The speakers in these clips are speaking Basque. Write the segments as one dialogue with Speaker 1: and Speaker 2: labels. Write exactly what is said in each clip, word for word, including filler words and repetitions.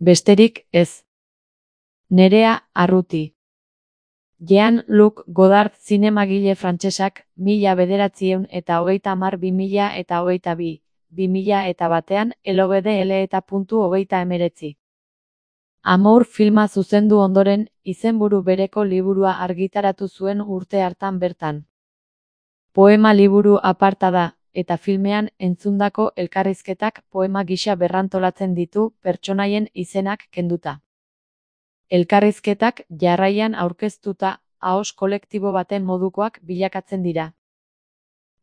Speaker 1: Besterik ez. Nerea Arruti. Jean-Luc Godard zinemagile frantsesak mila bederatziehun eta hogeita hamar bi mila eta hogeita bi, bi mila eta batean elogede ele eta puntu hogeita hemeretzi. Amour filma zuzendu ondoren, izenburu bereko liburua argitaratu zuen urte hartan bertan. Poema liburu aparta da, eta filmean entzundako elkarrizketak poema gisa berrantolatzen ditu pertsonaien izenak kenduta. Elkarrizketak jarraian aurkeztuta ahos kolektibo baten modukoak bilakatzen dira.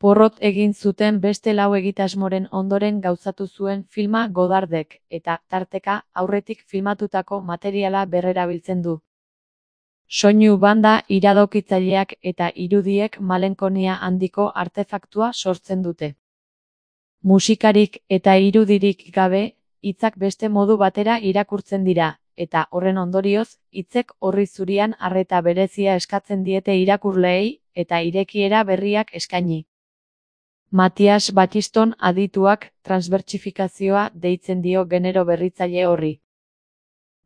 Speaker 1: Porrot egin zuten beste lau egitasmoren ondoren gauzatu zuen filma Godardek, eta, tarteka, aurretik filmatutako materiala berrerabiltzen du. Soinu banda iradokitzaileak eta irudiek malenkonia handiko artefaktua sortzen dute. Musikarik eta irudirik gabe, hitzak beste modu batera irakurtzen dira, eta horren ondorioz, hitzek orri zurian arreta berezia eskatzen diete irakurleei, eta irekiera berriak eskaini. Matias Battiston adituak transbertsifikazioa deitzen dio genero berritzaile horri.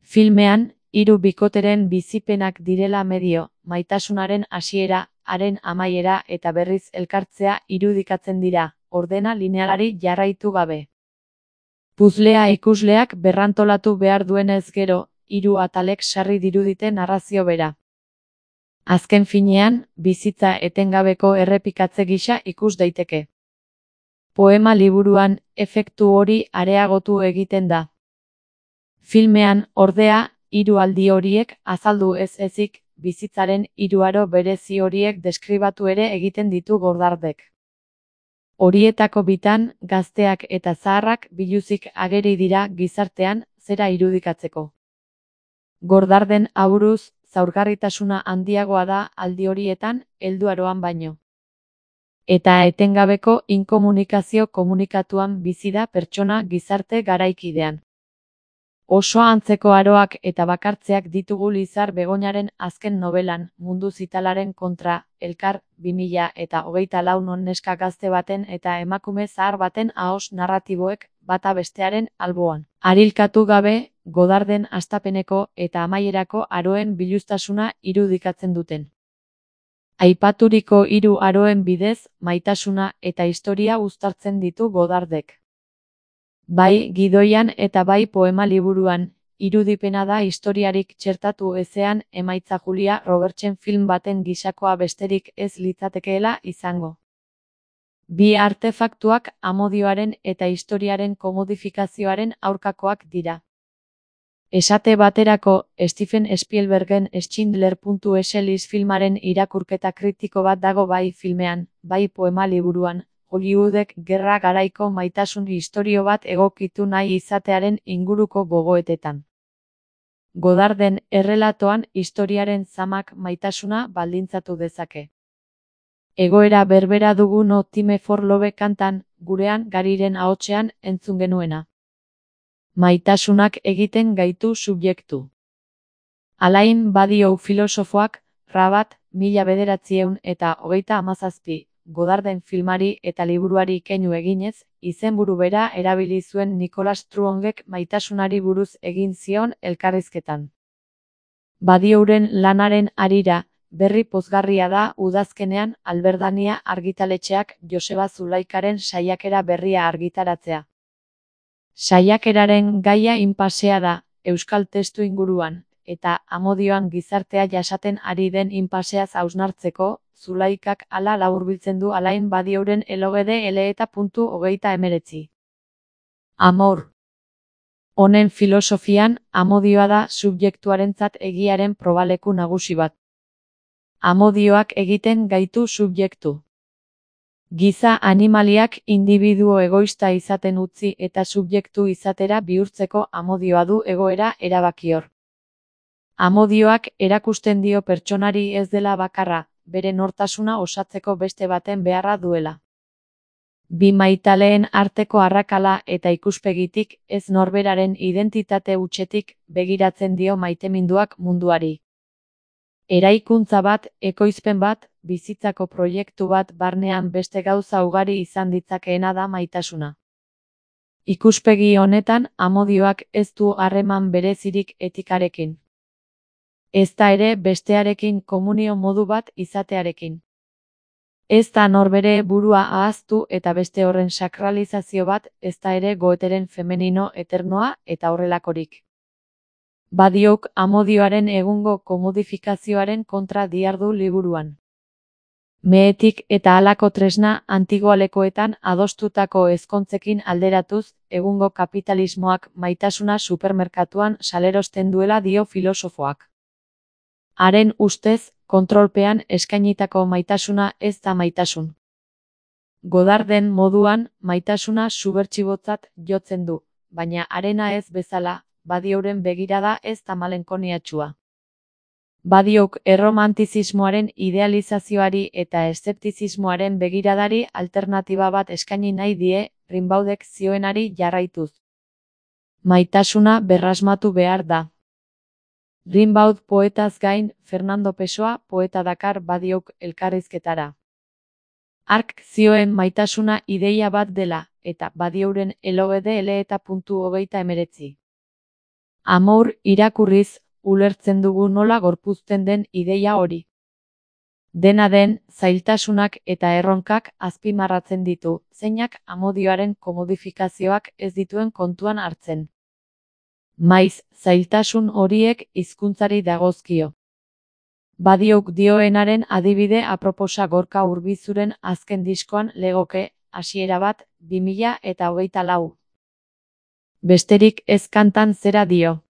Speaker 1: Filmean, hiru bikoteren bizipenak direla medio, maitasunaren hasiera, haren amaiera eta berriz elkartzea irudikatzen dira, ordena linealari jarraitu gabe. Puzlea ikusleak berrantolatu behar duenez gero, hiru atalek sarri dirudite narrazio bera. Azken finean, bizitza etengabeko errepikatze gisa ikus daiteke. Poema liburuan, efektu hori areagotu egiten da. Filmean, ordea, hiru aldi horiek azaldu ez ezik, bizitzaren hiru aro berezi horiek deskribatu ere egiten ditu Godardek. Horietako bitan, gazteak eta zaharrak biluzik ageri dira gizartean zera irudikatzeko. Godarden aburuz, zaurgarritasuna handiagoa da aldi horietan, helduaroan baino. Eta etengabeko inkomunikazio komunikatuan bizi da pertsona gizarte garaikidean. Oso antzeko aroak eta bakartzeak ditugu Lizar Begoñaren azken nobelan, Mundu Zitalaren kontra, Elkar, bi mila eta hogeita lau non neska gazte baten eta emakume zahar baten ahos narratiboek bata bestearen alboan. Arilkatu gabe, Godarden hastapeneko eta amaierako aroen biluztasuna irudikatzen duten. Aipaturiko hiru aroen bidez, maitasuna eta historia uztartzen ditu Godardek. Bai gidoian eta bai poema liburuan, irudipena da historiarik txertatu ezean emaitza Julia Robertsen film baten gisakoa besterik ez litzatekeela izango. Bi artefaktuak amodioaren eta historiaren komodifikazioaren aurkakoak dira. Esate baterako, Steven Spielbergen Schindler puntu es Lis filmaren irakurketa kritiko bat dago bai filmean, bai poema liburuan, Hollywoodek gerra garaiko maitasun istorio bat egokitu nahi izatearen inguruko gogoetetan. Godarden errelatoan historiaren zamak maitasuna baldintzatu dezake. Egoera berbera dugu No Time for Love kantan, gurean Gariren ahotsean entzun genuena. Maitasunak egiten gaitu subjektu. Alain Badiou filosofoak, Rabat, mila bederatziehun eta hogeita hamazazpi, Godarden filmari eta liburuari keinu eginez, izenburu bera erabili zuen Nicolas Truongek maitasunari buruz egin zion elkarrizketan. Badiouren lanaren harira, berri pozgarria da udazkenean Alberdania argitaletxeak Joseba Zulaikaren saiakera berria argitaratzea. Saiakeraren gaia inpasea da, euskal testu inguruan, eta amodioan gizartea jasaten ari den inpaseaz hausnartzeko, Zulaikak hala laburbiltzen du Alain Badiouren elogede ele eta puntu hogeita hemeretzi. Amor. Honen filosofian, amodioa da subjektuarentzat egiaren probaleku nagusi bat. Amodioak egiten gaitu subjektu. Giza animaliak indibiduo egoista izaten utzi eta subjektu izatera bihurtzeko amodioa du egoera erabakior. Amodioak erakusten dio pertsonari ez dela bakarra, bere nortasuna osatzeko beste baten beharra duela. Bi maitaleen arteko arrakala eta ikuspegitik ez norberaren identitate hutsetik begiratzen dio maiteminduak munduari. Eraikuntza bat, ekoizpen bat, bizitzako proiektu bat barnean beste gauza ugari izan ditzakeena da maitasuna. Ikuspegi honetan, amodioak ez du harreman berezirik etikarekin. Ezta ere bestearekin komunio modu bat izatearekin. Ez da norbere burua ahaztu eta beste horren sakralizazio bat, ezta ere goeteren femenino eternoa eta horrelakorik. Badiok amodioaren egungo komodifikazioaren kontra diardu liburuan. Mehetik eta halako tresna antigualekoetan adostutako ezkontzekin alderatuz, egungo kapitalismoak maitasuna supermerkatuan salerosten duela dio filosofoak. Haren ustez, kontrolpean eskainitako maitasuna ez da maitasun. Godarden moduan, maitasuna subertsibotzat jotzen du, baina harena ez bezala, badioren begirada ez da malenkoniatsua. Badiok erromantizismoaren idealizazioari eta eszeptizismoaren begiradari alternatiba bat eskaini nahi die, Rimbaudek zioenari jarraituz. Maitasuna berrasmatu behar da. Rimbaud poetaz gain, Fernando Pessoa poeta dakar badiok elkarrizketara. Hark zioen maitasuna ideia bat dela, eta badiouren elogede eta puntu hogeita emeretzi. Amour irakurriz, ulertzen dugu nola gorpuzten den ideia hori. Dena den, zailtasunak eta erronkak azpimarratzen ditu, zeinak amodioaren komodifikazioak ez dituen kontuan hartzen. Maiz, zailtasun horiek hizkuntzari dagozkio. Badiok dioenaren adibide aproposa Gorka Urbizuren azken diskoan legoke, hasiera bat, bi mila eta hogeita lau. Besterik ez kantan zera dio.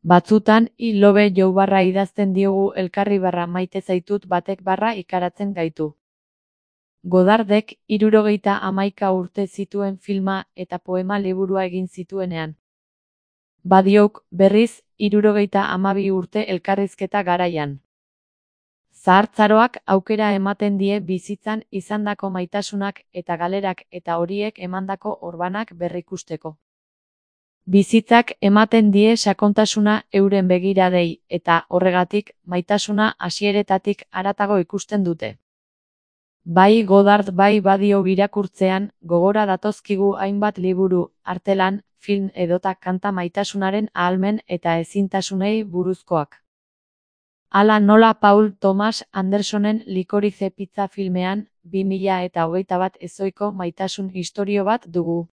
Speaker 1: Batzutan, i lobe jou barra idazten diogu elkarri barra maite zaitut batek barra ikaratzen gaitu. Godardek hirurogeita hamaika urte zituen filma eta poema liburua egin zituenean. Badiok, berriz, hirurogeita hamabi urte elkarrizketa garaian. Zahartzaroak aukera ematen die bizitzan izandako maitasunak eta galerak eta horiek emandako orbanak berrikusteko. Bizitzak ematen die sakontasuna euren begiradei eta, horregatik, maitasuna hasieretatik haratago ikusten dute. Bai Godard bai badio irakurtzean, gogora datozkigu hainbat liburu, artelan, film edota kanta maitasunaren ahalmen eta ezintasunei buruzkoak. Hala nola Paul Thomas Andersonen Likorize Pizza filmean, bi mila eta hogeita bat ezohiko maitasun istorio bat dugu.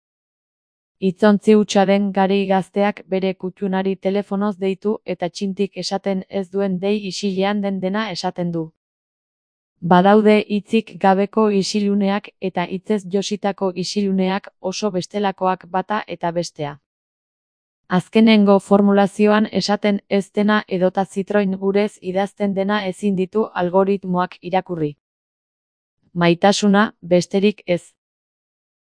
Speaker 1: Hitzontzi hutsa den gari gazteak bere kuttunari telefonoz deitu eta txintik esaten ez duen dei isilean den dena esaten du. Badaude hitzik gabeko isiluneak eta hitzez jositako isiluneak oso bestelakoak bata eta bestea. Azkenengo formulazioan esaten ez dena edota zitroin gurez idazten dena ezin ditu algoritmoak irakurri. Maitasuna, besterik ez.